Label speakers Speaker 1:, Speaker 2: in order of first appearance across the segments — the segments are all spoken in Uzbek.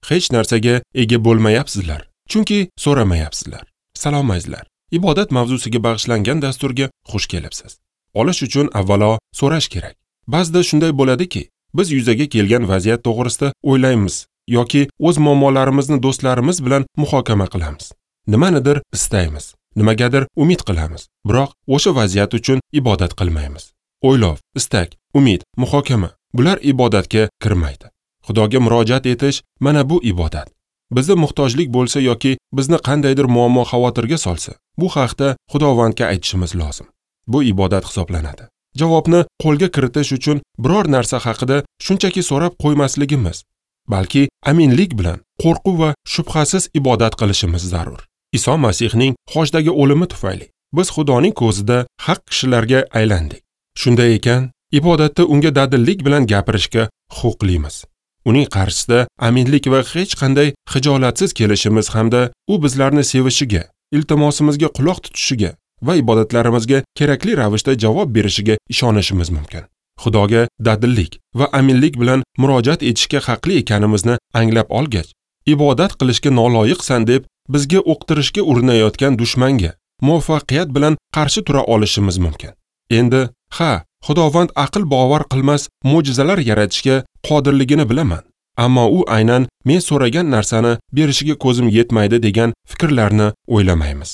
Speaker 1: Hech narsaga ega bo'lmayapsizlar, chunki so'ramayapsizlar. Salom azizlar. Ibodat mavzusiga bag'ishlangan dasturga xush kelibsiz. Olish uchun avvalo so'rash kerak. Ba'zida shunday bo'ladiki, biz yuzaga kelgan vaziyat to'g'risida o'ylaymiz yoki o'z muammolarimizni do'stlarimiz bilan muhokama qilamiz. Nimanidir istaymiz, nimagadir umid qilamiz, biroq o'sha vaziyat uchun ibodat qilmaymiz. O'ylov, istak, umid, muhokama bular ibodatga kirmaydi. Xudoga murojaat etish mana bu ibodat. Bizda muhtojlik bo'lsa yoki bizni qandaydir muammo xavotirga solsa, bu haqda Xudovandga aytishimiz lozim. Bu ibodat hisoblanadi. Javobni qo'lga kiritish uchun biror narsa haqida shunchaki so'rab qo'ymasligimiz, balki aminlik bilan qo'rquv va shubhasiz ibodat qilishimiz zarur. Iso Masihning xochdagi o'limi tufayli biz Xudoning ko'zida haq kishilarga aylandik. Shunday ekan, ibodatda unga dadillik bilan gapirishga huquqlimiz. Uning qarshisida aminlik va hech qanday xijolatsiz kelishimiz hamda u bizlarni sevishiga, iltimosimizga quloq tutishiga va ibodatlarimizga kerakli ravishda javob berishiga ishonishimiz mumkin. Xudoga dadillik va aminlik bilan murojaat etishga haqli ekanimizni anglab olgach, ibodat qilishga noloyiqsan deb bizga o'qtirishga urinayotgan dushmanga muvaffaqiyat bilan qarshi tura olishimiz mumkin. Endi, ha, Xudovand aql bovar qilmas mo'jizalar yaratishga qodirligini bilaman, ammo u aynan men so'ragan narsani berishiga ko'zim yetmaydi degan fikrlarni o'ylamaymiz.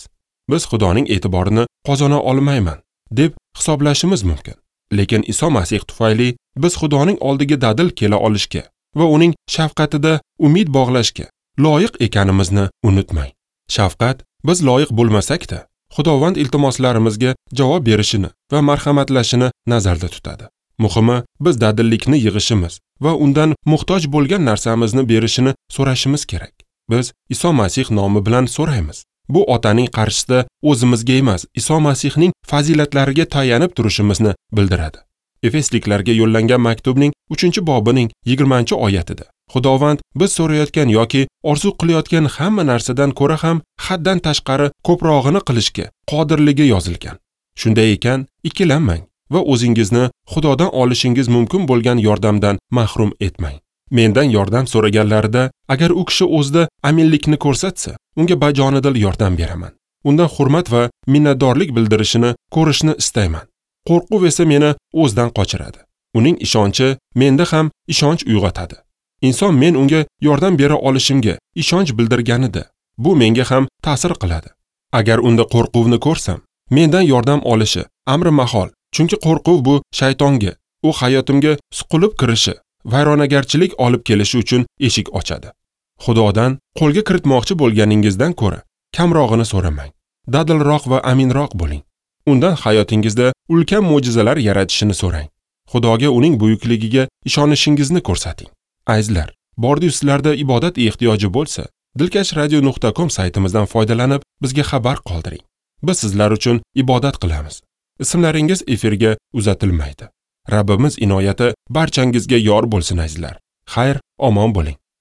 Speaker 1: Biz Xudoning e'tiborini qozona olmayman deb hisoblashimiz mumkin. Lekin Iso Masih tufayli biz Xudoning oldiga dadil kela olishga va uning shafqatida umid bog'lashga loyiq ekanimizni unutmang. Shafqat biz loyiq bo'lmasak-da, Xudovand iltimoslarimizga javob berishini va marhamatlashini nazarda tutadi. Muhimi, biz dadillikni yig'ishimiz va undan muhtoj bo'lgan narsamizni berishini so'rashimiz kerak. Biz Iso Masih nomi bilan so'raymiz. Bu otaning qarshisida o'zimizga emas, Iso Masihning fazilatlariga tayanib turishimizni bildiradi. Efesliklarga yo'llangan maktubning 3-bobining 20-oyatida Xudovand biz so'rayotgan yoki orzu qilayotgan hamma narsadan ko'ra ham haddan tashqari ko'prog'ini qilishga qodirligi yozilgan. Shunday ekan, ikkilanmang va o'zingizni Xudodan olishingiz mumkin bo'lgan yordamdan mahrum etmang. Mendan yordam so'raganlarida, agar u kishi o'zida aminlikni ko'rsatsa, unga bajonidil yordam beraman. Undan hurmat va minnatdorlik bildirishini ko'rishni istayman. Qo'rquv esa meni o'zidan qochiradi. Uning ishonchi menda ham ishonch uyg'otadi. Inson men unga yordam bera olishimga ishonch bildirganida, bu menga ham ta'sir qiladi. Agar unda qo'rquvni ko'rsam, mendan yordam olishi amri mahol, chunki qo'rquv bu shaytonga, u hayotimga suqilib kirishi, vayronagarchilik olib kelishi uchun eshik ochadi. Xudodan qo'lga kiritmoqchi bo'lganingizdan ko'ra kamrog'ini so'ramang. Dadilroq va aminroq bo'ling. Undan hayotingizda ulkan mo'jizalar yaratishini so'rang. Xudoga uning buyukligiga ishonishingizni ko'rsating. Azizlar, bordi sizlarda ibodat ehtiyoji bo'lsa, dilkashradio.com saytimizdan foydalanib bizga xabar qoldiring. Biz sizlar uchun ibodat qilamiz. Ismlaringiz efirga uzatilmaydi. Rabbimiz inoyati barchangizga yor bo'lsin azizlar. Xayr, omon bo'ling.